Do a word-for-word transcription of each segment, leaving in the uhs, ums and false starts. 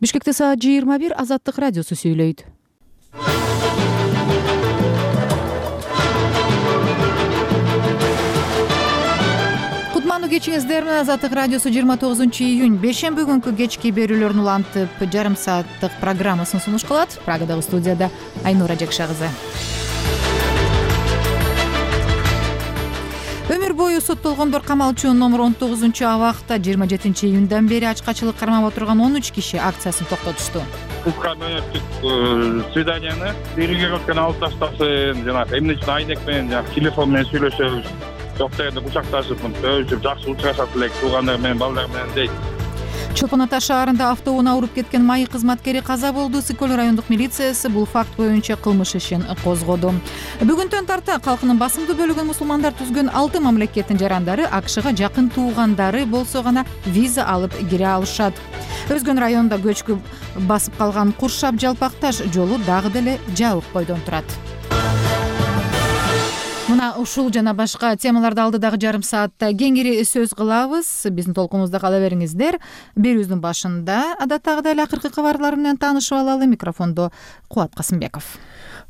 Бишкекте саат жыйырма бир. Азаттык радиосу сүйлөйт. Кутмандуу кечиңиздер менен Азаттык радиосу жыйырма тогузунчу июнь бейшемби күнкү кечки берүүлөрүн улантып жарым сааттык программасын сунуш кылат. Прагадагы студияда Айнура Жакша кызы. Өмүр бою соттолгондор камалчу номер он тогузунчу абакта жыйырма жетинчи июндан бери ачкачылык кармап отурган он үч киши акциясын токтотушту. Кызга мөөнөттүк свиданияны бирге алып таштасын, жанагы эмне үчүн айнек менен жанагы телефон менен сүйлөшөбүз. Жок дегенде кучакташып, өбүшүп, жакшы учурашат элек туугандар менен, балдар менен дейт. Чолпон Ата шаарында автоунаа уруп кеткен майы кызматкери каза болду. Сыкөл райондук милициясы бул факт боюнча кылмыш ишин козгоду. Бүгүнтөн тарта калкынын басымдуу бөлүгүн мусулмандар түзгөн алты мамлекеттин жарандары АКШга жакын туугандары болсо гана виза алып кире алышат. Өзгөн районунда көчкү басып калган Куршап Жалпакташ жолу дагы деле жабык бойдон турат. Мына ушул жана башка темаларды алдыдагы жарым саатта кеңири сөз кылабыз. Биздин толкунубузда кала бериңиздер. Берүүбүздүн башында адаттагыдай эле акыркы кабарлар менен таанышып алалы. Микрофондо Кубат Касымбеков.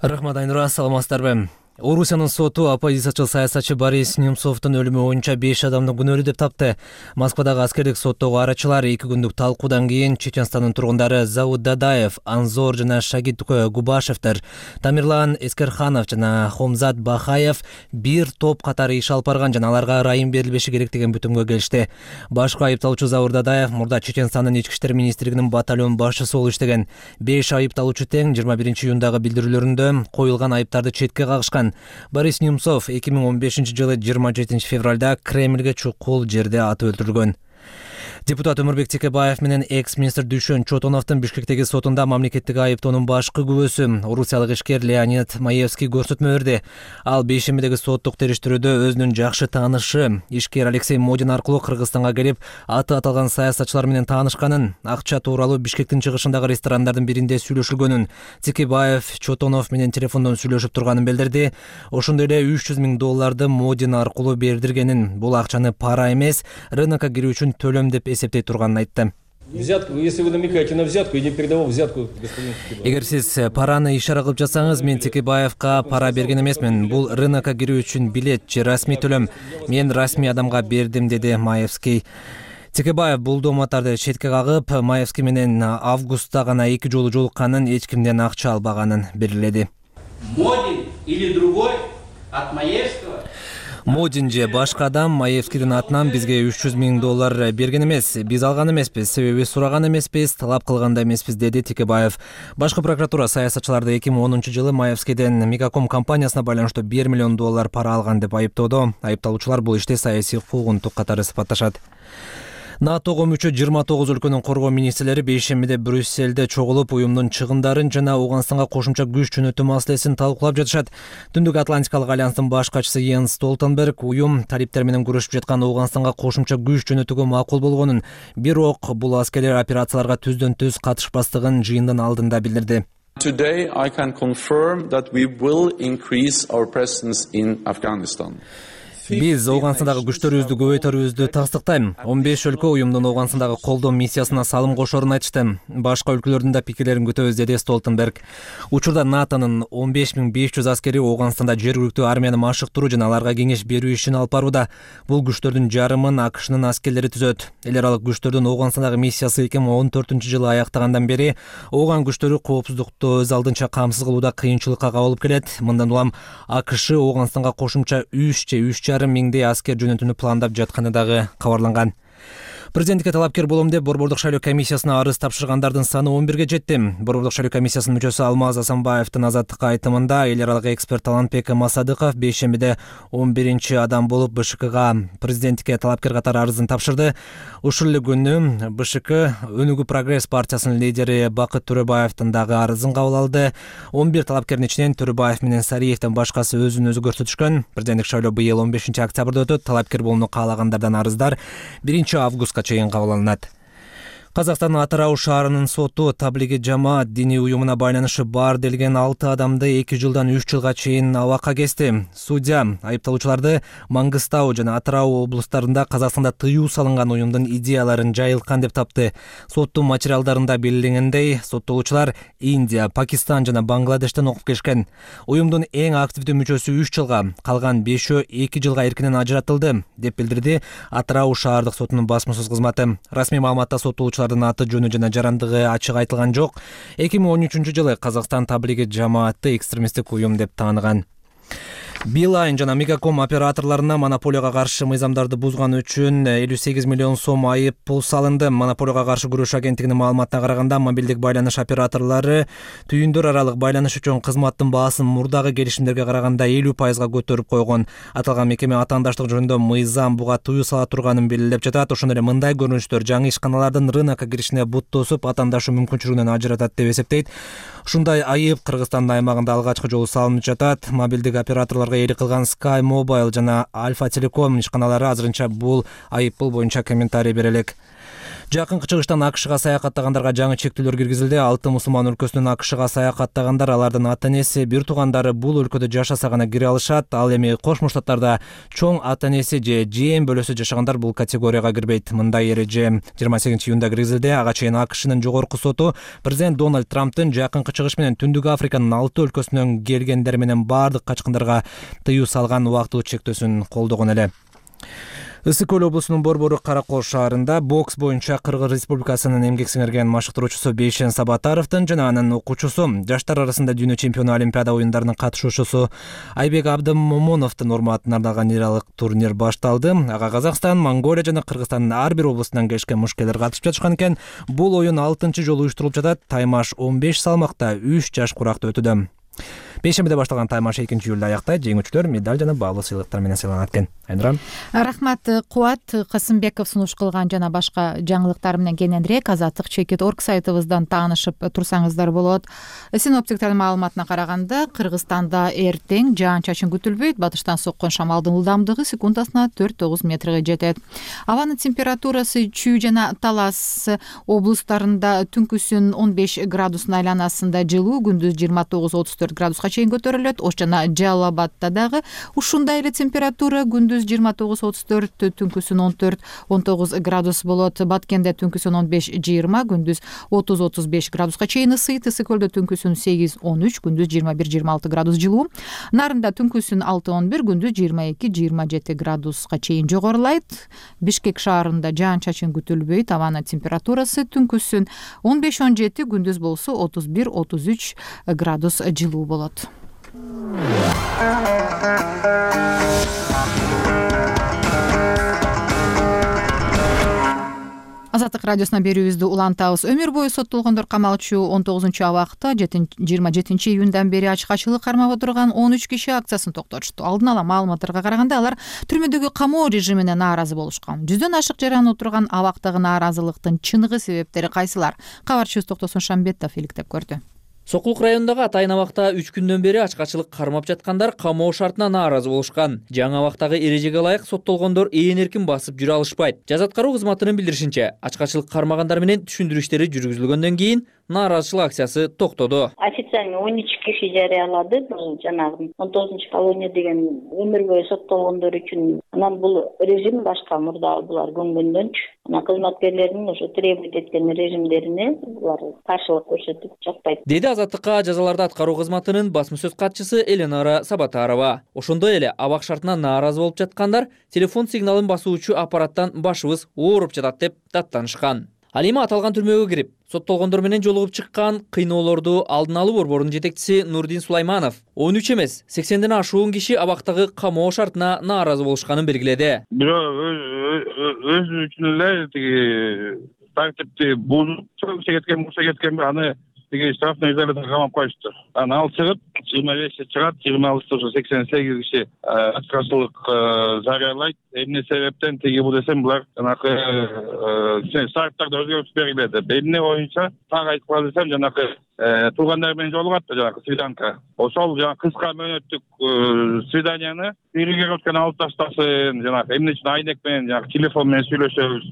Рахмат, Айнура, саламатсыздарбы? Орусиянын соту оппозициячыл саясатчы Борис Немцовдун өлүмү боюнча беш адамды күнөөлүү деп тапты. Москвадагы аскердик соттогу арачылар эки күндүк талкуудан кийин Чеченстандын тургундары Завуд Дадаев, Анзор жана Шагит Губашевдер, Тамирлан Эскерханов жана Хомзат Бахаев бир топ катары иш алып барган жана аларга ырайым берилбеши керек деген бүтүмгө келишти. Башкы айыпталуучу Завуд Дадаев мурда Чеченстандын ички иштер министрлигинин батальон башчысы болуп иштеген. беш айыпталуучу тең жыйырма биринчи июндагы билдирүүлөрүндө коюлган айыптарды четке кагышкан. Борис Немцов эки миң он бешинчи жылы жыйырма жетинчи февралда Кремльге чукул жерде атып өлтүрүлгөн. Депутат Өмүрбек Текебаев менен экс-министр Дүйшөн Чотоновдун Бишкектеги сотунда мамлекеттик айыптоонун башкы күбөсү орусиялык ишкер Леонид Маевский көрсөтмө берди. Ал бейшембидеги соттук териштирүүдө өзүнүн жакшы таанышы ишкер Алексей Модин аркылуу Кыргызстанга келип, аты аталган саясатчылар менен таанышканын, акча тууралуу Бишкектин чыгышындагы ресторандардын биринде сүйлөшүлгөнүн, Текебаев Чотонов менен телефондон сүйлөшүп турганын билдирди. Ошондой эле үч жүз миң долларды Модин аркылуу бердиргенин, бул акчаны пара эмес, рынокко кирүү үчүн төлөм деп эсептей турганын айтты. Взятку, если вы намекаете на взятку, я не передавал взятку господину Текебаеву. Эгер сиз параны ишара кылып жатсаңыз, мен Текебаевка пара берген эмесмин. Бул рынокко кирүү үчүн билет же расмий төлөм. Мен расмий адамга бердим, деди Маевский. Текебаев бул дооматтарды четке кагып, Маевский менен августта гана эки жолу жолукканын, эч кимден акча албаганын белгиледи. Модин или другой от Маевского? Модин же башка адам Маевскийдин атынан бизге үч жүз миң доллар берген эмес. Биз алган эмеспиз, себеби сураган эмеспиз, талап кылган да эмеспиз, деди Текебаев. Башкы прокуратура саясатчыларды эки миң онунчу жылы Маевскийден Мегаком компаниясына байланыштуу бир миллион доллар пара алган деп айыптоодо. Айыпталуучулар бул иште саясий куугунтук катары сыпатташат. НАТОго мүчө жыйырма тогуз өлкөнүн коргоо министрлери бейшембиде Брюссельде чогулуп, уюмдун чыгындарын жана Ауганстанга кошумча күч жөнөтүү маселесин талкуулап жатышат. Түндүк Атлантикалык альянстын баш катчысы Йенс Столтенберг уюм талиптер менен күрөшүп жаткан Ауганстанга кошумча күч жөнөтүүгө макул болгонун, бирок бул аскерлер операцияларга түздөн түз катышпастыгын жыйындын алдында билдирди. Today I can confirm that we will increase our presence in Afghanistan. Биз Ауганстандагы күчтөрүбүздү көбөйтөрүбүздү тастыктайм. он беш өлкө уюмдун Ауганстандагы колдоо миссиясына салым кошорун айтышты. Башка өлкөлөрдүн да пикирлерин күтөбүз, деди Столтенберг. Учурда НАТОнун он беш миң беш жүз аскери Ауганстанда жергиликтүү армияны машыктыруу жана аларга кеңеш берүү ишин алып барууда. Бул күчтөрдүн жарымын АКШнын аскерлери түзөт. Эл аралык күчтөрдүн Ауганстандагы миссиясы эки миң он төртүнчү жылы аяктагандан бери Ауган күчтөрү коопсуздукту өз алдынча камсыз кылууда кыйынчылыкка кабылып келет. Мындан улам АКШ Ауганстанга кошумча үч же үч жарым миңдей аскер жөнөтүүнү пландап жатканы дагы кабарланган. Президентке талапкер болом деп Борбордук шайлоо комиссиясына арыз тапшыргандардын саны он бирге жетти. Борбордук шайлоо комиссиясынын мүчөсү Алмаз Асанбаевдин азаттыкка айтымында эл аралык эксперт Талантбек Масадыков бейшембиде он биринчи адам болуп БШКга президентке талапкер катары арызын тапшырды. Ушул эле күнү БШК Өнүгүү Прогресс партиясынын лидери Бакыт Төрөбаевдин дагы арызын кабыл алды. он бир талапкердин ичинен Төрөбаев менен Сариевден башкасы өзүн өзү көрсөтүшкөн. Президенттик шайлоо быйыл он бешинчи октябрда өтөт. Талапкер болууну каалагандардан арыздар биринчи августка чейин кабыл алынат. Казакстандын Атырау шаарынын соту таблиги жамаат диний уюмуна байланышы бар делген алты адамды эки жылдан үч жылга чейин абакка кести. Судья айыпталуучуларды Мангыстау жана Атырау облустарында Казакстанда тыюу салынган уюмдун идеяларын жайылткан деп тапты. Соттун материалдарында белгиленгендей, соттолуучулар Индия, Пакистан жана Бангладештен окуп келишкен. Уюмдун эң активдүү мүчөсү үч жылга, калган бешөө эки жылга эркинен ажыратылды, деп билдирди Атырау шаардык сотунун басма сөз кызматы. Расмий маалыматта соттолуучулар аты жөнү жана жарандыгы ачык айтылган жок. эки миң он үчүнчү жылы Казакстан таблиги жамаатты экстремисттик уюм деп тааныган. Билайн жана Мегаком операторлоруна монополияга каршы мыйзамдарды бузган үчүн элүү сегиз миллион сом айып пул салынды. Монополияга каршы күрөш агенттигинин маалыматына караганда, мобилдик байланыш операторлору түйүндөр аралык байланыш үчүн кызматтын баасын мурдагы келишимдерге караганда элүү пайызга көтөрүп койгон. Аталган мекеме атаандаштык жөнүндө мыйзам буга тыюу сала турганын белгилеп жатат. Ошондой эле мындай көрүнүштөр жаңы ишканалардын рынокко киришине бут тосуп, атаандаштуу мүмкүнчүлүгүнөн ажыратат деп эсептейт. Ушундай айып Кыргызстандын аймагында алгачкы жолу салынып жатат. Мобилдик операторлорго ээлик кылган Sky Mobile жана Alfa Telecom ишканалары азырынча бул айыппул боюнча комментарий бере элек. Жакынкы чыгыштан АКШга саякаттагандарга жаңы чектөөлөр киргизилди. Алты мусулман өлкөсүнөн АКШга саякаттагандар, алардын ата-энеси, бир туугандары бул өлкөдө жашаса гана кире алышат. Ал эми Кошмо Штаттарда чоң ата-энеси же жээм бөлөсү жашагандар бул категорияга кирбейт. Мындай эреже жыйырма сегизинчи июнда киргизилди. Ага чейин АКШнын жогорку соту президент Дональд Трамптын жакынкы чыгыш менен Түндүк Африканын алты өлкөсүнөн келгендер менен бардык качкындарга тыюу салган убактылуу чектөөсүн колдогон эле. Ысык көл облусунун Борбору Каракол шаарында бокс боюнча Кыргыз Республикасынын эмгек сиңирген машыктыруучусу Бейшен Сабатаровдун жана анын окуучусу, жаштар арасында дүйнө чемпиону Олимпиада оюндарынын катышуучусу Айбек Абдымомоновдун урматына арналган лиралык турнир башталды. Ага Казакстан, Монголия жана Кыргызстандын ар бир облусунан келишкен мушкелер катышып жатышкан экен. Бул оюн алтынчы жолу уюштурулуп жатат. Таймаш он беш салмакта үч жаш куракта өтүүдө. Бейшембиде башталган таймаш экинчи июлда аяктайт. Жеңүүчүлөр медаль жана баалуу сыйлыктар менен сыйланат экен. Айнура. Рахмат. Кубат Касымбеков сунуш кылган жана башка жаңылыктар менен кененирээк азаттык чекит точка орг сайтыбыздан таанышып турсаңыздар болот. Синоптиктердин маалыматына караганда, Кыргызстанда эртең жаан-чачын күтүлбөйт. Батыштан соккон шамалдын ылдамдыгы секундасына төрт тогуз метрге жетет. Абанын температурасы Чүй жана Талас облустарында түнкүсүн он беш градустун айланасында жылуу, күндүз жыйырма тогуз отуз төрт градуска чейин көтөрүлөт. Ош жана Жалал Абадта дагы ушундай эле температура, күндүз жыйырма тогуз отуз төрт, түнкүсүн он төрт он тогуз градус болот. Баткенде түнкүсүн он беш жыйырма, күндүз отуз отуз беш градуска чейин ысыйт. Ысык көлдө түнкүсүн сегиз он үч, күндүз жыйырма бир жыйырма алты градус жылуу. Нарында түнкүсүн алты он бир, күндүз жыйырма эки жыйырма жети градуска чейин жогорулайт. Бишкек шаарында жаан-чачын күтүлбөйт. Абанын температурасы түнкүсүн он беш он жети, күндүз болсо отуз бир отуз үч градус жылуу болот. Азаттык радиосуна берүүбүздү улантабыз. Өмүр бою соттолгондор камалчу он тогузунчу абакта жыйырма жетинчи июндан бери ачык-ачык кармап отурган он үч киши акциясын токтотушту. Алдын ала маалыматтарга караганда, алар түрмөдөгү камоо режимине нааразы болушкан. Жүздөн ашык жаран отурган абактагы нааразылыктын чыныгы себептери кайсылар? Кабарчыбыз Токтосун Шамбетов иликтеп көрдү. Сокулук районундагы Атайын абакта үч күндөн бери ачык-ачык кармап жаткандар камоо шартына нааразы болушкан. Жаңы абактагы эрежеге ылайык соттолгондор ээн эркин басып жүрө алышпайт. Жаза аткаруу кызматынын билдиришинче, ачык-ачык кармагандар менен түшүндүрүү иштери жүргүзүлгөндөн кийин нааразычылык акциясы токтоду. Официально он үч киши жарыялады. Бул жанагы он тогузунчу колония деген өмүр бою соттолгондор үчүн. Анан бул режим башка, мурда булар көнгөндөнчү. Анан кызматкерлердин ошо требовать эткен режимдерине булар каршылык көрсөтүп жатпайт. Деди Азаттыкка жазаларды аткаруу кызматынын басма сөз катчысы Эленора Сабатарова. Ошондой эле абак шартына нааразы болуп жаткандар телефон сигналын басуучу аппараттан башыбыз ооруп жатат деп даттанышкан. Ал эми аталган түрмөгө кирип, соттолгондор менен жолугуп чыккан кыйноолорду алдын алуу борборунун жетекчиси Нурдин Сулайманов он үч эмес, сексенден ашуун киши абактагы камоо шартына нааразы болушканын белгиледи. Бирок өз үчүн эле тиги тартипти бузуп кеткен, буша кеткен аны тиги штрафный изоляторго камап коюшту. Анан ал чыгып, жыйырма беште чыгат, жыйырма алтысында уже сексен сегиз киши аткарчылык жарыялайт. Эмне себептен тиги бул десем, булар жанакы шарттарда өзгөртүп бергиледи. Эмне боюнча так айтып кала десем, жанакы туугандар менен жолугат да жанакы свиданка. Ошол жанагы кыска мөөнөттүк свиданияны перегородканы алып таштасын, жанакы эмне үчүн айнек менен, жанакы телефон менен сүйлөшөбүз.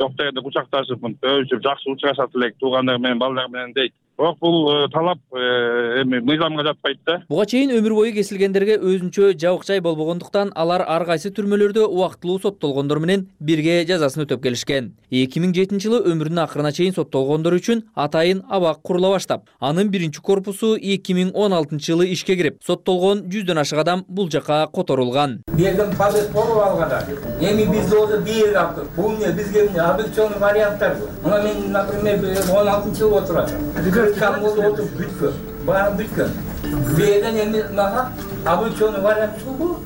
жок дегенде кучакташып өбүшүп жакшы учурашат элек туугандар менен балдар менен дейт. Бирок бул талап эми мыйзамга жатпайт да. Буга чейин өмүр бою кесилгендерге өзүнчө жабык жай болбогондуктан алар ар кайсы түрмөлөрдө убактылуу соттолгондор менен бирге жазасын өтөп келишкен. эки миң жетинчи жылы өмүрүнүн акырына чейин соттолгондор үчүн атайын абак курула баштап, анын биринчи корпусу эки миң он алтынчы жылы ишке кирип, соттолгон жүздөн ашык адам бул жака которулган. Берген пазет болуп алганда, эми биз доза бир аптык. Бул не бизге объективный варианттар. Мына мен, например, он алтынчы жыл отурам. Кам болду отуруп бүткөн. Баары бүткөн. Берген эми мага объективный вариант чыгуу.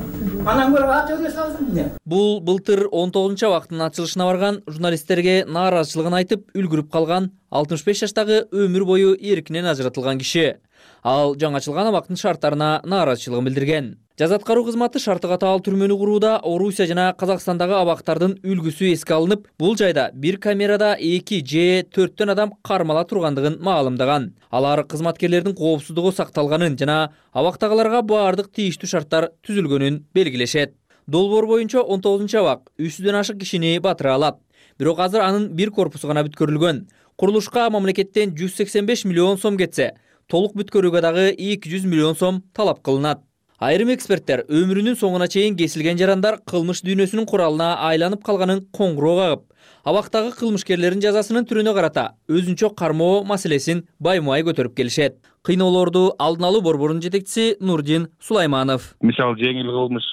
Анан көрө ачыгы салдым мен. Бул былтыр он тогузунчу абактын ачылышына барган журналисттерге нааразычылыгын айтып үлгүрүп калган алтымыш беш жаштагы өмүр бою эркинен ажыратылган киши. Ал жаңачылган абактын шарттарына нааразычылыгын билдирген. Жаза аткаруу кызматы шарты катаал түрмөнү курууда Орусия жана Казакстандагы абактардын үлгүсү эске алынып, бул жайда бир камерада эки же төрттөн адам кармала тургандыгын маалымдаган. Алар кызматкерлердин коопсуздугу сакталганын жана абактагыларга баардык тийиштүү шарттар түзүлгөнүн белгилешет. Долбоор боюнча он тогузунчу абак үч жүздөн ашык кишини батыра алат. Бирок азыр анын бир корпусу гана бүткөрүлгөн. Курулушка мамлекеттен жүз сексен беш миллион сом кетсе, толук бүткөрүүгө дагы эки жүз миллион сом талап кылынат. Айрым эксперттер өмүрүнүн соңуна чейин кесилген жарандар кылмыш дүйнөсүнүн куралына айланып калганын коңгуроо кагып, абактагы кылмышкерлердин жазасынын түрүнө карата өзүнчө кармоо маселесин баймай көтөрүп келишет. Кыйноолорду алдын алуу борборунун жетекчиси Нурдин Сулайманов. Мисалы жеңил кылмыш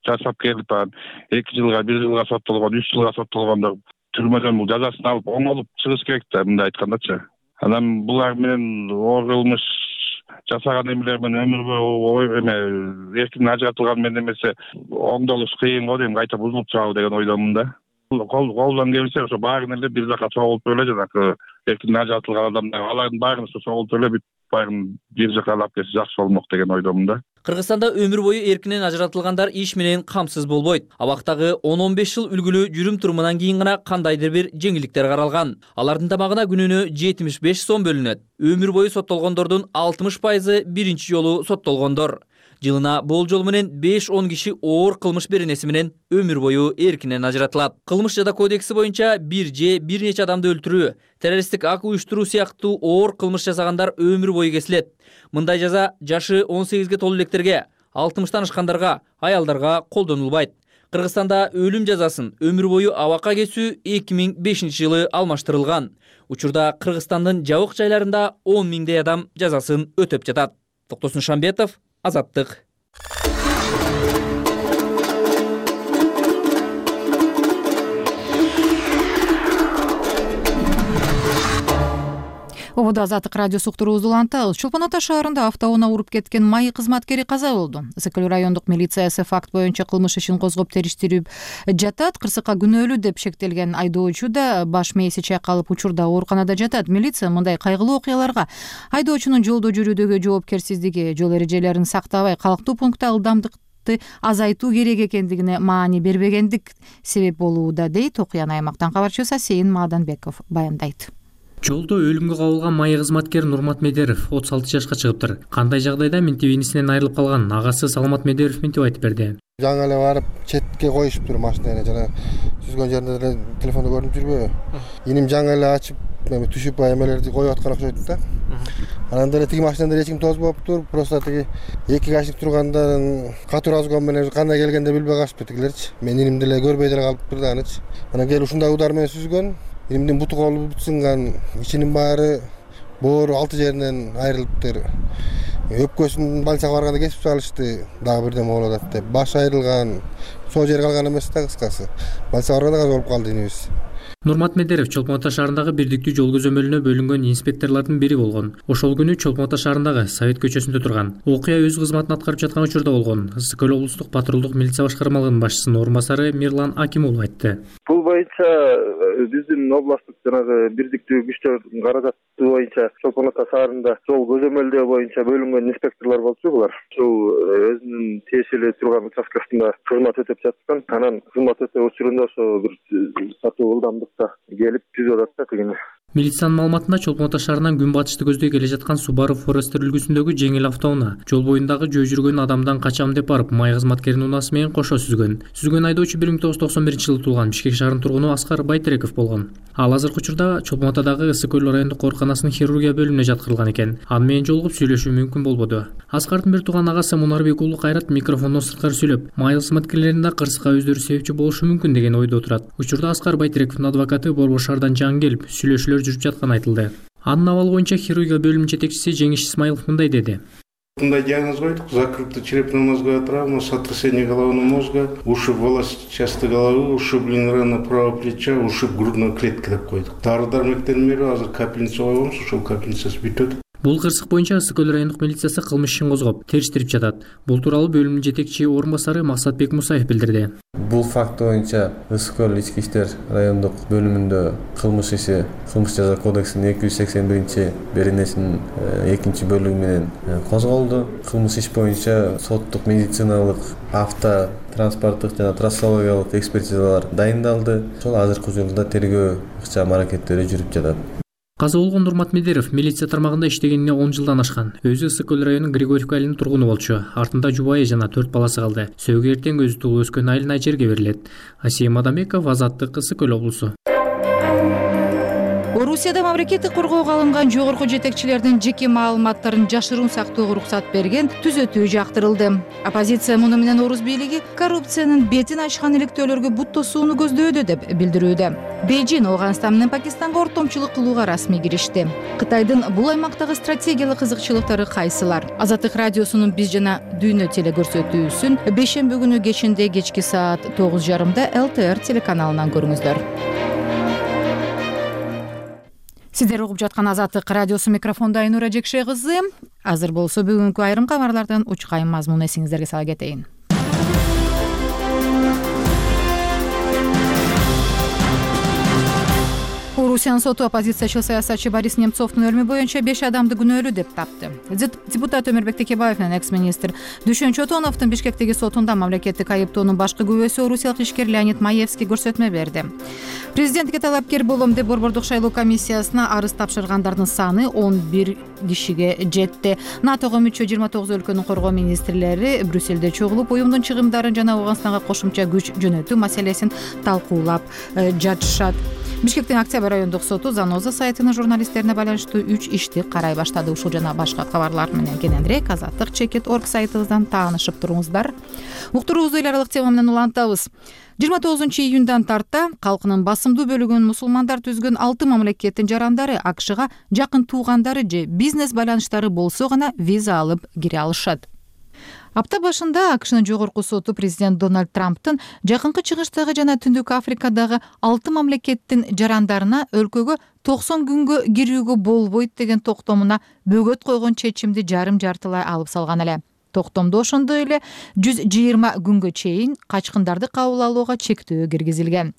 жасап келип, эки жылга, бир жылга соттолгон, үч жылга соттолгондор түрмөдөн бул жазасын алып оңолуп чыгыш керек да, мындай айткандачы. Анан булар менен оор кылмыш жасаган эмелер менен өмүр бою эме эркинден ажыратылган менен эмесе оңдолуш кыйын го дейм, кайта бузулуп чыгабы деген ойдомун да. Колдон келсе ошо баарын эле бир жака чогултуп эле жанагы эркинден ажыратылган адамдар, алардын баарын ошо чогултуп эле бүт баарын бир жака алып келсе жакшы болмок деген ойдомун да. Кыргызстанда өмүр бою эркинен ажыратылгандар иш менен камсыз болбойт. Абактагы он он беш жыл үлгүлүү жүрүм турумунан кийин гана кандайдыр бир жеңилдиктер каралган. Алардын тамагына күнүнө жетимиш беш сом бөлүнөт. Өмүр бою соттолгондордун алтымыш пайызы биринчи жолу соттолгондор. Жылына болжол менен беш он киши оор кылмыш беренеси менен өмүр бою эркинен ажыратылат. Кылмыш жада кодекси боюнча бир же бир нече адамды өлтүрүү, террористтик ак уюштуруу сыяктуу оор кылмыш жасагандар өмүр бою кесилет. Мындай жаза жашы он сегизге толуу электерге, алтымыштан ашкандарга, аялдарга колдонулбайт. Кыргызстанда өлүм жазасын өмүр бою абакка кесүү эки миң бешинчи жылы алмаштырылган. Учурда Кыргызстандын жабык жайларында он миңдей адам жазасын өтөп жатат. Токтосун Шамбетов, Азаттык. Ободо Азаттык радиосу уктуруу узулантабыз. Чолпон Ата шаарында автоунаа уруп кеткен майы кызматкери каза болду. Сыкөл райондук милициясы факт боюнча кылмыш ишин козгоп териштирип жатат. Кырсыкка күнөөлүү деп шектелген айдоочу да баш мээси чайкалып учурда ооруканада жатат. Милиция мындай кайгылуу окуяларга айдоочунун жолдо жүрүүдөгү жоопкерсиздиги, жол эрежелерин сактабай калктуу пунктта ылдамдыкты азайтуу керек экендигине маани бербегендик себеп болууда дейт. Окуяны аймактан кабарчысы Сейин Маданбеков баяндайт. Жолдо өлүмгө кабылган майы кызматкер Нурмат Медеров отуз алты жашка чыгыптыр. Кандай жагдайда минтип инисинен айрылып калган агасы Саламат Медеров минтип айтып берди. Жаңы эле барып четке коюшуптур машинаны, жана түзгөн жеринде деле телефонду көрүнүп жүрбөбү. Иним жаңы эле ачып, эми түшүп эмелерди коюп аткан окшойт да. Анан деле тиги машинада эч ким тозбоптур, просто тиги эки кашик тургандан катуу разгон менен кандай келгенде билбей калышыптыр тигилерчи. Мен иним деле көрбөй деле калыптыр да анычы. Анан келип ушундай удар менен сүзгөн. Инимдин буту колу бүт сынган, ичинин баары боору алты жеринен айрылыптыр. Өпкөсүн больницага барганда кесип салышты, дагы бирдеме болуп атат деп. Баш айрылган, сол жери калган эмес да кыскасы. Больницага барганда каза болуп калды инибиз. Нурмат Медеров Чолпон Ата шаарындагы бирдиктүү жол көзөмөлүнө бөлүнгөн инспекторлордун бири болгон. Ошол күнү Чолпон Ата шаарындагы Совет көчөсүндө турган. Окуя өз кызматын аткарып жаткан учурда болгон. Сыкөл облустук патрулдук милиция башкармалыгынын башчысынын орун басары Мирлан Акимов айтты. Бул боюнча биздин областтык жанагы бирдиктүү күчтөрдүн каражаты боюнча Чолпон Ата шаарында жол көзөмөлдөө боюнча бөлүнгөн инспекторлор болчу булар. Ушул өзүнүн тиешелүү турган участкасында кызмат өтөп жаткан. Анан кызмат өтөө учурунда ошо бир сатуу ылдамдыкта келип түзүп атат да тигини. Милициянын маалыматында Чолпон Ата шаарынан күн батышты көздөй келе жаткан Subaru Forester үлгүсүндөгү жеңил автоунаа жол боюндагы жөө жүргөн адамдан качам деп барып, май кызматкеринин унаасы менен кошо сүзгөн. Сүзгөн айдоочу бир миң тогуз жүз токсон биринчи жылы туулган Бишкек шаарынын тургуну Аскар Байтереков болгон. Ал азыркы учурда Чолпон Атадагы Ысык көл райондук ооруканасынын хирургия бөлүмүнө жаткырылган экен. Аны менен жолугуп сүйлөшүү мүмкүн болбоду. Аскардын бир тууган агасы Мунарбек уулу Кайрат микрофондон сырткары сүйлөп, май кызматкерлеринин да кырсыкка өздөрү себепчи болушу мүмкүн деген ойдо отурат. Учурда Аскар Байтерековдун адвокаты Борбор шаардан жаңы келип, сүйлөшүүлөр жүрүп жатканы айтылды. Анын абалы боюнча хирургия бөлүмүнүн жетекчиси Жеңиш Исмаилов мындай деди. Мындай диагноз койдук: закрытая черепно-мозговая травма, сотрясение головного мозга, ушиб волосчастой головы, ушибление раны правого плеча, ушиб грудной клетки деп койдук. Дары-дармектердин берип, азыр капельница койгонбуз, ошол капельницасы бүтөт. Бул кырсык боюнча Ысык көл райондук милициясы кылмыш ишин козгоп, териштирип жатат. Бул тууралуу бөлүмдүн жетекчи орун басары Максатбек Мусаев билдирди. Бул факт боюнча Ысык көл ички иштер райондук бөлүмүндө кылмыш иши кылмыш жаза кодексинин эки жүз сексен биринчи беренесинин экинчи бөлүгү менен козголду. Кылмыш иш боюнча соттук медициналык, авто транспорттук жана трассологиялык экспертизалар дайындалды. Ошол азыркы учурда тергөө ыкчам аракеттери жүрүп жатат. Каза болгон Нурмат Медеров милиция тармагында иштегенине он жылдан ашкан. Өзү Ысык көл районунун Григорьевка айылынын тургуну болчу. Артында жубайы жана төрт баласы калды. Сөөгү эртең өзү туулуп өскөн айыл Найжерге берилет. Асия Мадамбеков, Азаттык, Ысык көл облусу. Орусияда мамлекеттик коргоого алынган жогорку жетекчилердин жеке маалыматтарын жашыруун сактоого уруксат берген түзөтүү жактырылды. Оппозиция муну менен орус бийлиги коррупциянын бетин ачкан иликтөөлөргө бут тосууну көздөдү деп билдирүүдө. Бейжин Афганистан менен Пакистанга ортомчулук кылууга расмий киришти. Кытайдын бул аймактагы стратегиялык кызыкчылыктары кайсылар? Азаттык радиосунун Биз жана Дүйнө телекөрсөтүүсүн бейшемби күнү кечинде кечки саат тогуз жарымда эл тэ эр телеканалынан көрүңүздөр. Сиздер угуп жаткан Азаттык радиосу, микрофондо Айнура Жекше кызы. Азыр болсо бүгүнкү айрым кабарлардан учкайым мазмун эсиңиздерге сала кетейин. Орусиянын соту оппозициячыл саясатчы Борис Немцовдун өлүмү боюнча беш адамды күнөөлүү деп тапты. Депутат Өмүрбек Текебаев менен экс-министр Дүшөн Чотоновдун Бишкектеги сотунда мамлекеттик айыптоонун башкы күбөсү орусиялык ишкер Леонид Маевский көрсөтмө берди. Президентке талапкер болом деп Борбордук шайлоо комиссиясына арыз тапшыргандардын саны он бир кишиге жетти. натого мүчө жыйырма тогуз өлкөнүн коргоо министрлери Брюссельде чогулуп, уюмдун чыгымдарын жана Афганистанга кошумча күч жөнөтүү маселесин талкуулап жатышат. Бишкектин Октябрь райондук соту Заноза сайтынын журналисттерине байланыштуу үч ишти карай баштады. Ушул жана башка кабарлар менен кененирээк азаттык чекит точка орг сайтыбыздан таанышып туруңуздар. Уктуруубузду эл аралык тема менен улантабыз. жыйырма тогузунчу июндан тарта калкынын басымдуу бөлүгүн мусулмандар түзгөн алты мамлекеттин жарандары АКШга жакын туугандары же бизнес байланыштары болсо гана виза алып кире алышат. Апта башында АКШнын жогорку соту президент Дональд Трамптын жакынкы чыгыштагы жана Түндүк Африкадагы алты мамлекеттин жарандарына өлкөгө токсон күнгө кирүүгө болбойт деген токтомуна бөгөт койгон чечимди жарым жартылай алып салган эле. Токтомдо ошондой эле жүз жыйырма күнгө чейин качкындарды кабыл алууга чектөө киргизилген.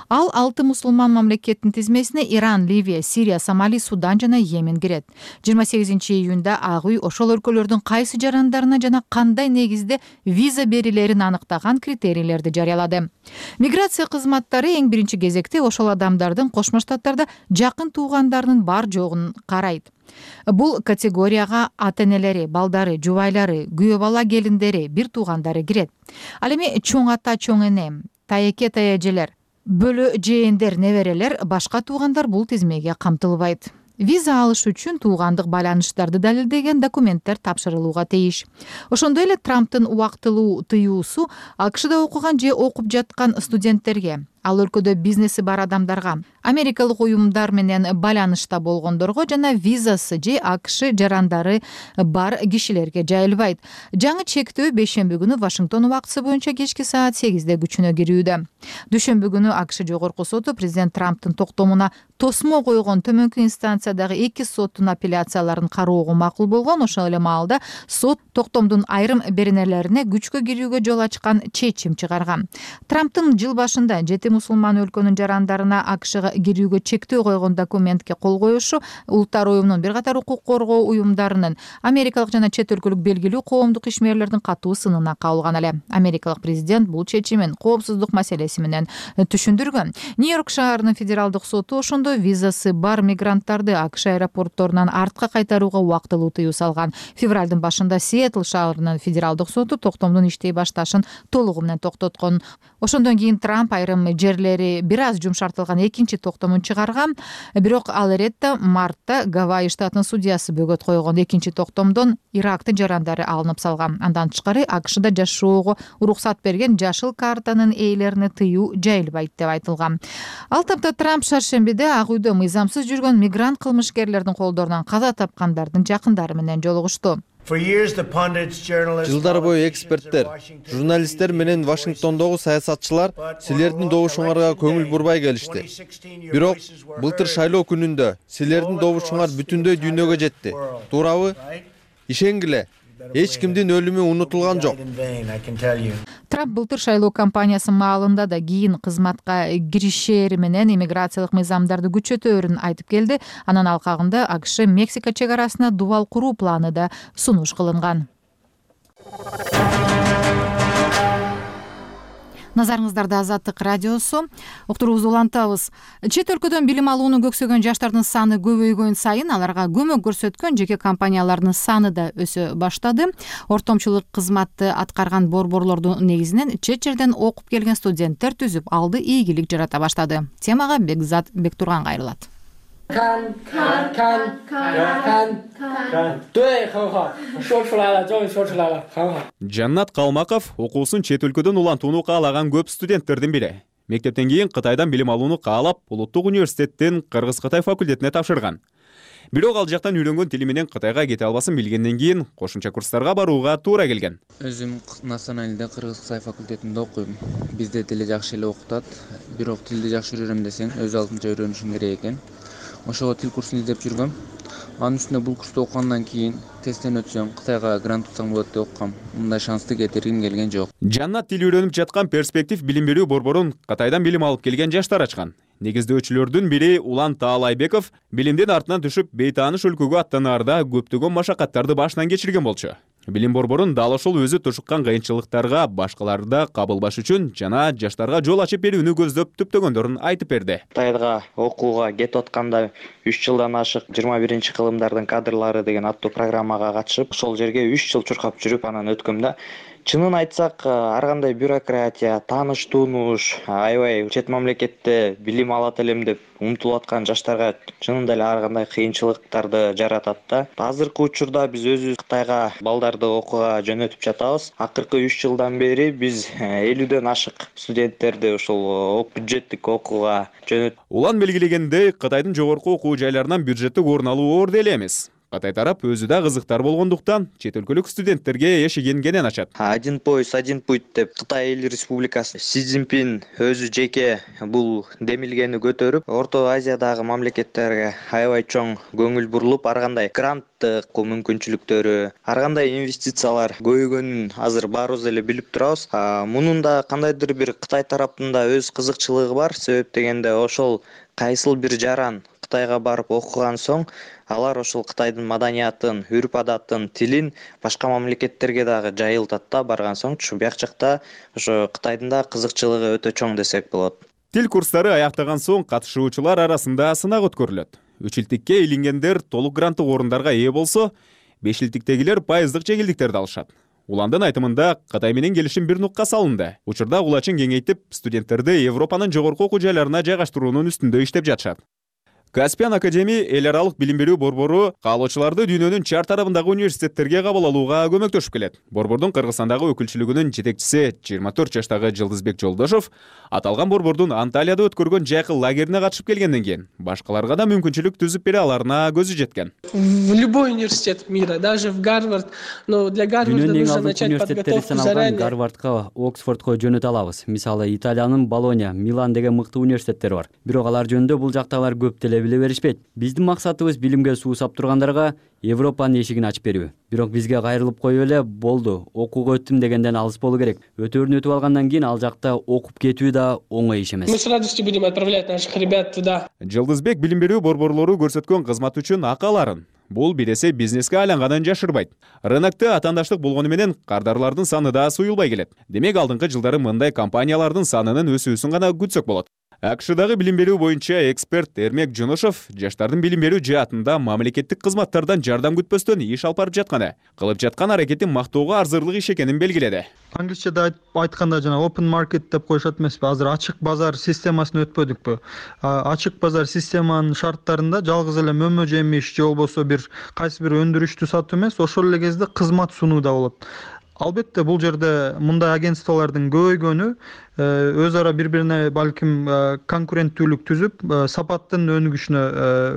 Ал алты мусулман мамлекеттин тизмесине Иран, Ливия, Сирия, Сомали, Судан жана Йемен кирет. жыйырма сегизинчи июнда Ак үй ошол өлкөлөрдүн кайсы жарандарына жана кандай негизде виза берилерин аныктаган критерийлерди жарыялады. Миграция кызматтары эң биринчи кезекте ошол адамдардын Кошмо Штаттарда жакын туугандарынын бар жогун карайт. Бул категорияга ата-энелери, балдары, жубайлары, күйөө бала келиндери, бир туугандары кирет. Ал эми чоң ата, чоң эне, тайэке, тайэжелер, бөлө жээндер, неберелер, башка туугандар бул тизмеге камтылбайт. Виза алыш үчүн туугандык байланыштарды далилдеген документтер тапшырылууга тийиш. Ошондой эле Трамптын убактылуу тыюусу АКШда окуган же окуп жаткан студенттерге, ал өлкөдө бизнеси бар адамдарга, америкалык уюмдар менен байланышта болгондорго жана визасы же АКШ жарандары бар кишилерге жайылбайт. Жаңы чектөө бейшемби күнү Вашингтон убактысы боюнча кечки саат сегизде күчүнө кирүүдө. Дүйшөмбү күнү АКШ жогорку соту президент Трамптын токтомуна тосмо койгон төмөнкү инстанциядагы эки соттун апелляцияларын кароого макул болгон. Ошол эле маалда сот токтомдун айрым беренелерине күчкө кирүүгө жол ачкан чечим чыгарган. Трамптын жыл башында жети чети мусулман өлкөнүн жарандарына АКШга кирүүгө чектөө койгон документке кол коюшу Улуттар уюмунун бир катар укук коргоо уюмдарынын Америкалык жана чет өлкөлүк белгилүү коомдук ишмерлердин катуу сынына кабылган эле. Америкалык президент бул чечимин коопсуздук маселеси менен түшүндүргөн. Нью-Йорк шаарынын федералдык соту ошондо визасы бар мигранттарды АКШ аэропортторунан артка кайтарууга убактылуу тыюу салган. Февралдын башында Сиэтл шаарынын федералдык соту токтомдун иштей башташын толугу менен токтоткон. Ошондон кийин Трамп айрым жерлери бир аз жумшартылган экинчи токтомун чыгарган. Бирок ал эретте мартта Гавайи штатынын судьясы бөгөт койгон. Экинчи токтомдон Ирактын жарандары алынып салган. Андан тышкары АКШда жашоого уруксат берген жашыл картанын ээлерине тыюу жайылбайт деп айтылган. Ал тапта Трамп шаршембиде Ак үйдө мыйзамсыз жүргөн мигрант кылмышкерлердин колдорунан каза тапкандардын жакындары менен жолугушту. Жылдар бою эксперттер, журналисттер менен Вашингтондогу саясатчылар силердин добушуңарга көңүл бурбай келишти. Бирок былтыр шайлоо күнүндө силердин добушуңар бүтүндөй дүйнөгө жетти. Туурабы? Ишенгиле, эч кимдин өлүмү унутулган жок. Трамп былтыр шайлоо кампаниясы маалында да кийин кызматка киришери менен иммиграциялык мыйзамдарды күчөтөөрүн айтып келди. Анын алкагында АКШ Мексика чек арасына дубал куруу планы да сунуш кылынган. Назарыңыздарда Азаттык радиосу. Уктуруубузду улантабыз. Чет өлкөдөн билим алууну көксөгөн жаштардын саны көбөйгөн сайын аларга көмөк көрсөткөн жеке компаниялардын саны да өсө баштады. Ортомчулук кызматты аткарган борборлордун негизинен чет жерден окуп келген студенттер түзүп алды, ийгилик жарата баштады. Темага Бекзат Бектурган кайрылат. Kan kan kan kan kan. 对，很好，说出来了，终于说出来了，很好。 Жаннат Калмаков окуусун чет өлкөдөн улантууну каалаган көп студенттердин бири. Мектептен кийин Кытайдан билим алууну каалап, Улуттук университеттин Кыргыз-Кытай факультетине тапшырган. Бирок ал жактан үйрөнгөн тили менен Кытайга кете албасын билгенден кийин кошумча курстарга барууга туура келген. Өзүм националдык Кыргыз-Кытай факультетинде окуйм. Бизде тили жакшы эле окутат. Бирок тилди жакшы үйрөнөм десең, өз алдынча үйрөнүшүң керек экен. Ошого тил курсун издеп жүргөм. Анын үстүнө бул курсту окугандан кийин тесттен өтсөм, Кытайга грант утсам болот деп окугам. Мындай шансты кетиргим келген жок. Жаннат тил үйрөнүп жаткан перспектив билим берүү борборун Кытайдан билим алып келген жаштар ачкан. Негиздөөчүлөрдүн бири Улан Таалайбеков билимдин артынан түшүп бейтааныш өлкөгө аттанаарда көптөгөн машакаттарды башынан кечирген болчу. Билим борборун дал ошол өзү тушуккан кыйынчылыктарга башкаларды да кабылбаш үчүн жана жаштарга жол ачып берүүнү көздөп түптөгөндөрүн айтып берди. Кытайга окууга кетип атканда үч жылдан ашык жыйырма биринчи кылымдардын кадрлары деген аттуу программага катышып, ошол жерге үч жыл чуркап жүрүп анан өткөм да. Чынын айтсак, ар кандай бюрократия, тааныш тунуш, аябай чет мамлекетте билим алат элем деп умтулуп аткан жаштарга чынында эле ар кандай кыйынчылыктарды жаратат да. Азыркы учурда биз өзүбүз Кытайга балдарды окууга жөнөтүп жатабыз. Акыркы үч жылдан бери биз элүүдөн ашык студенттерди ошол бюджеттик окууга жөнөт. Улан белгилегендей, Кытайдын жогорку окуу жайларынан бюджеттик орун алуу оор деле эмес. Кытай тарап өзү да кызыктар болгондуктан чет өлкөлүк студенттерге эшигин кенен ачат. Один пояс, один путь деп Кытай эл республикасы Си Цзиньпин өзү жеке бул демилгени көтөрүп, Орто Азиядагы мамлекеттерге аябай чоң көңүл бурулуп, ар кандай гранттык мүмкүнчүлүктөрү, ар кандай инвестициялар көбөйгөнүн азыр баарыбыз эле билип турабыз. Мунун да кандайдыр бир Кытай тарапында өз кызыкчылыгы бар. Себеп дегенде ошол кайсыл бир жаран Кытайга барып окуган соң, алар ошол Кытайдын маданиятын, үрп-адатын, тилин башка мамлекеттерге дагы жайылтат да барган соң, бияк жакта ошо Кытайдын да кызыкчылыгы өтө чоң десек болот. Тил курстары аяктаган соң катышуучулар арасында сынак өткөрүлөт. үч илтикке илингендер толук гранттык орундарга ээ болсо, беш илтиктегилер пайыздык жеңилдиктерди алышат. Уландын айтымында Кытай менен келишим бир нукка салынды. Учурда улачын кеңейтип, студенттерди Европанын жогорку окуу жайларына жайгаштыруунун үстүндө иштеп жатышат. Каспиан Академи эл аралык билим берүү борбору каалоочуларды дүйнөнүн чар тарабындагы университеттерге кабыл алууга көмөктөшүп келет. Борбордун Кыргызстандагы өкүлчүлүгүнүн жетекчиси жыйырма төрт жаштагы Жылдызбек Жолдошов аталган борбордун Анталияда өткөргөн жайкы лагерине катышып келгенден кийин башкаларга да мүмкүнчүлүк түзүп бере аларына көзү жеткен. В любой университет мира, даже в Гарвард, но для Гарварда нужно начать подготовку заранее. Гарвардка, Оксфордко жөнөтө алабыз. Мисалы, Италиянын Болония, Милан деген мыкты университеттер бар. Бирок алар жөнүндө бул жактагылар көп деле биле беришпейт. Биздин максатыбыз билимге суусап тургандарга Европанын эшигин ачып берүү. Бирок бизге кайрылып коюп эле болду, окууга өттүм дегенден алыс болуу керек. Өтөөрүн өтүп алгандан кийин ал жакта окуп кетүү да оңой иш эмес. Мы с радостью будем отправлять наших ребят туда. Жылдызбек билим берүү борборлору көрсөткөн кызмат үчүн акы аларын. Бул бир эсе бизнеске айланганын жашырбайт. Рынокто атаандаштык болгону менен кардарлардын саны да суюлбай келет. Демек алдыңкы жылдары мындай компаниялардын санынын өсүүсүн гана күтсөк болот. АКШдагы билим берүү боюнча эксперт Эрмек Жунушов жаштардын билим берүү жаатында мамлекеттик кызматтардан жардам күтпөстөн иш алып барып жатканы, кылып жаткан аракетин мактоого арзырлык иш экенин белгиледи. Англисчеде айтканда жана open market деп коюшат эмеспи? Азыр ачык базар системасын өтпөдүкпү? Ачык базар системанын шарттарында жалгыз эле мөмө жемиш же болбосо бир кайсы бир өндүрүштү сатуу эмес, ошол эле кезде кызмат сунуу да болот. Албетте бул жерде мындай агентстволордун көбөйгөнү өз ара бири-бирине балким конкуренттүүлүк түзүп, сапаттын өнүгүшүнө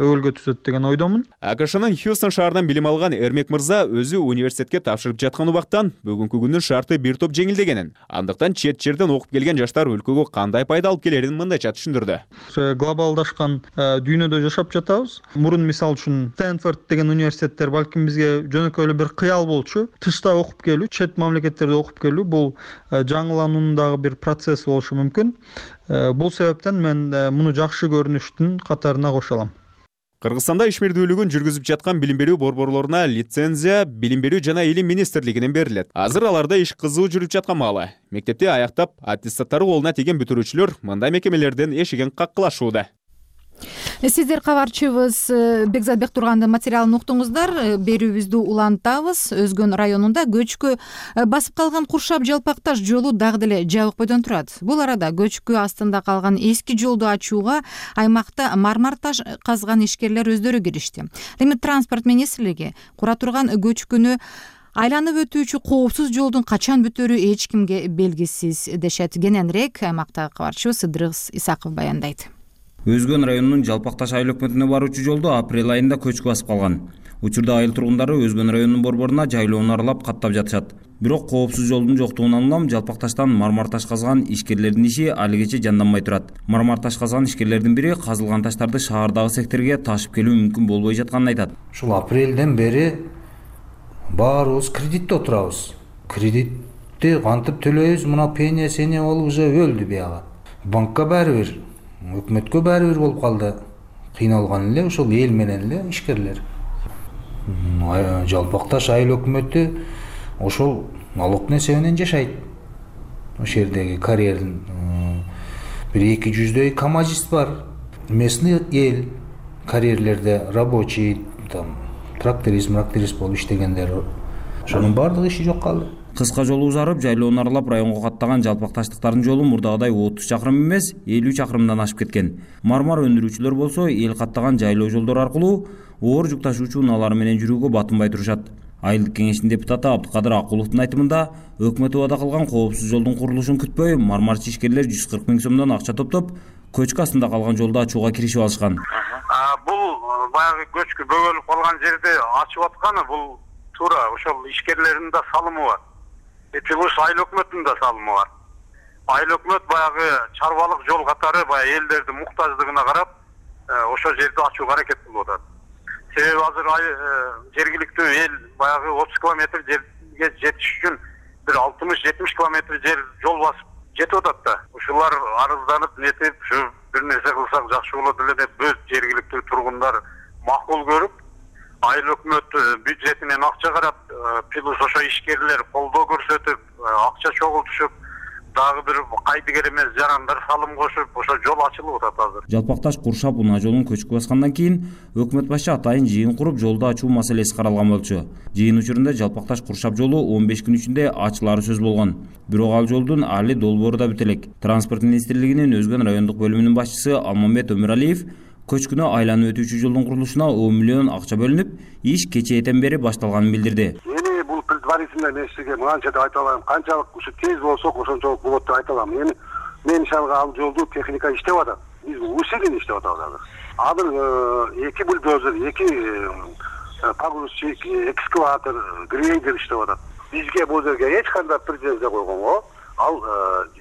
өбөлгө түзөт деген ойдомун. АКШнын Хьюстон шаарынан билим алган Эрмек мырза өзү университетке тапшырып жаткан убактан бүгүнкү күндүн шарты бир топ жеңилдегенин, андыктан чет жерден окуп келген жаштар өлкөгө кандай пайда алып келерин мындайча түшүндүрдү. Глобалдашкан дүйнөдө жашап жатабыз. Мурун мисал үчүн Стэнфорд деген университеттер балким бизге жөнөкөй эле бир кыял болчу. Тышта окуп келүү, чет мамлекеттерде окуп келүү бул жаңылануунун дагы бир процесс болушу мүмкүн. Бул себептен мен муну жакшы көрүнүштүн катарына кошо алам. Кыргызстанда ишмердүүлүгүн жүргүзүп жаткан билим берүү борборлоруна лицензия билим берүү жана илим министрлигинен берилет. Азыр аларда иш кызуу жүрүп жаткан маалы. Мектепти аяктап, аттестаттары колуна тийген бүтүрүүчүлөр мындай мекемелерден эшигин каккылашууда. Сиздер кабарчыбыз Бекзатбек Тургандын материалын уктуңуздар. Берүүбүздү улантабыз. Өзгөн районунда көчкү басып калган Куршап Жалпакташ жолу дагы деле жабык бойдон турат. Бул арада көчкү астында калган эски жолду ачууга аймакта мармар таш казган ишкерлер өздөрү киришти. Демек транспорт министрлиги кура турган көчкүнү айланып өтүүчү коопсуз жолдун качан бүтөрү эч кимге белгисиз дешет. Кененирээк аймактагы кабарчыбыз Сыдырыс Исаков баяндайт. Өзгөн районунун Жалпакташ айыл өкмөтүнө баруучу жолду апрель айында көчкү басып калган. Учурда айыл тургундары Өзгөн районунун борборуна жайлоону аралап каттап жатышат. Бирок коопсуз жолдун жоктугунан улам Жалпакташтан мармар таш казган ишкерлердин иши алигече жанданбай турат. Мармар таш казган ишкерлердин бири казылган таштарды шаардагы секторге ташып келүү мүмкүн болбой жатканын айтат. Ушул апрелден бери баарыбыз кредитте отурабыз. Кредитти кантип төлөйбүз? Мына пеня сеня болуп уже өлдү бияга. Банкка баары бир, өкмөткө баары бир болуп калды. Кыйналган эле ошол эл менен эле ишкерлер. Жалпакташ айыл өкмөтү ошол налог несебинен жашайт. Ошол жердеги карьердин бир эки жүздөй камазист бар. Местный эл карьерлерде рабочий, там тракторист, тракторист болуп иштегендер. Ошонун баардыгы иши жок калды. Кыска жол узарып, жайлоону аралап районго каттаган жалпакташтыктардын жолу мурдагыдай отуз чакырым эмес, элүү чакырымдан ашып кеткен. Мармар өндүрүүчүлөр болсо эл каттаган жайлоо жолдор аркылуу оор жүк ташуучу унаалар менен жүрүүгө батынбай турушат. Айылдык кеңештин депутаты Абдыкадыр Акуловдун айтымында, өкмөт убада кылган коопсуз жолдун курулушун күтпөй, мармарчы ишкерлер жүз кырк миң сомдон акча топтоп, көчкү астында калган жолду ачууга киришип алышкан. Бул баягы көчкү бөгөлүп калган жерде ачып атканы бул туура ошол ишкерлердин да салымы бар. Плюс айыл өкмөттүн да салымы бар. Айыл өкмөт баягы чарбалык жол катары баягы элдердин муктаждыгына карап ошол жерди ачууга аракет кылып атат. Себеби азыр жергиликтүү эл баягы отуз километр жерге жетиш үчүн бир алтымыш жетимиш километр жер жол басып жетип атат да. Ушулар арызданып нетип, ушу бир нерсе кылсак жакшы болот эле деп өз жергиликтүү тургундар макул көрүп, айыл өкмөт бюджетинен акча карап, плюс ошо ишкерлер колдоо көрсөтүп, акча чогултушуп, дагы бир кайдыгер эмес жарандар салым кошуп, ошо жол ачылып атат азыр. Жалпакташ Куршап унаа жолун көчкү баскандан кийин өкмөт башы атайын жыйын куруп, жолду ачуу маселеси каралган болчу. Жыйын учурунда Жалпакташ Куршап жолу он беш күн ичинде ачылары сөз болгон. Бирок ал жолдун али долбоору да бүт элек. Транспорт министрлигинин Өзгөн райондук бөлүмүнүн башчысы Алмамбет Өмүралиев көчкүнө айланып өтүүчү жолдун курулушуна он миллион акча бөлүнүп, иш кечээден бери башталганын билдирди. Эми бул предварительно мен сизге мынча деп айта алам, канчалык ушу тез болсок ошончолук болот деп айта алам. Эми мен ишанга ал жолду техника иштеп атат. Биз усилен иштеп атабыз азыр. Азыр эки бульдозер, эки погрузчик, экскаватор, грейдер иштеп атат. Бизге бул жерге эч кандай претензия койгонго ал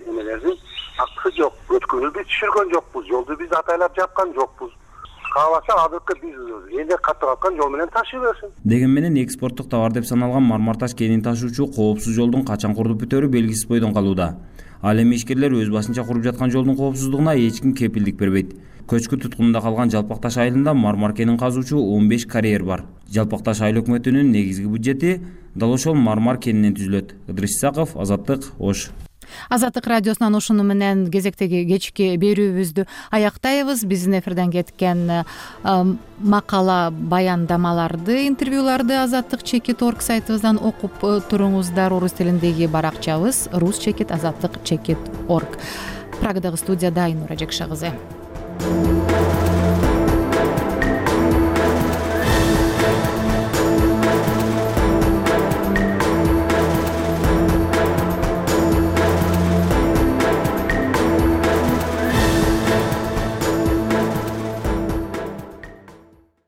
эмелердин акысы жок. Өткөнү биз түшүргөн жокпуз, жолду биз атайлап жапкан жокпуз. кааласа адыркы биз элде каттап аткан жол менен ташый берсин. Деген менен экспорттук товар деп саналган мармар таш кенин ташуучу коопсуз жолдун качан курулуп бүтөөрү белгисиз бойдон калууда. Ал эми ишкерлер өз башынча куруп жаткан жолдун коопсуздугуна эч ким кепилдик бербейт. Көчкү туткунунда калган Жалпак таш айылында мармар кенин казуучу он беш карьер бар. Жалпак таш айыл өкмөтүнүн негизги бюджети дал ошол мармар кенинен түзүлөт. Ыдырыс Исаков, Азаттык, Ош. Азаттык радиосунан ушуну менен кезектеги кечки берүүбүздү аяктайбыз. Биздин эфирден кеткен макала, баяндамаларды, интервьюларды Азаттык чекит точка орг сайтыбыздан окуп туруңуздар. Орус тилиндеги баракчабыз рус чекит азаттык чекит точка орг. Прагадагы студияда Айнура Жекша кызы.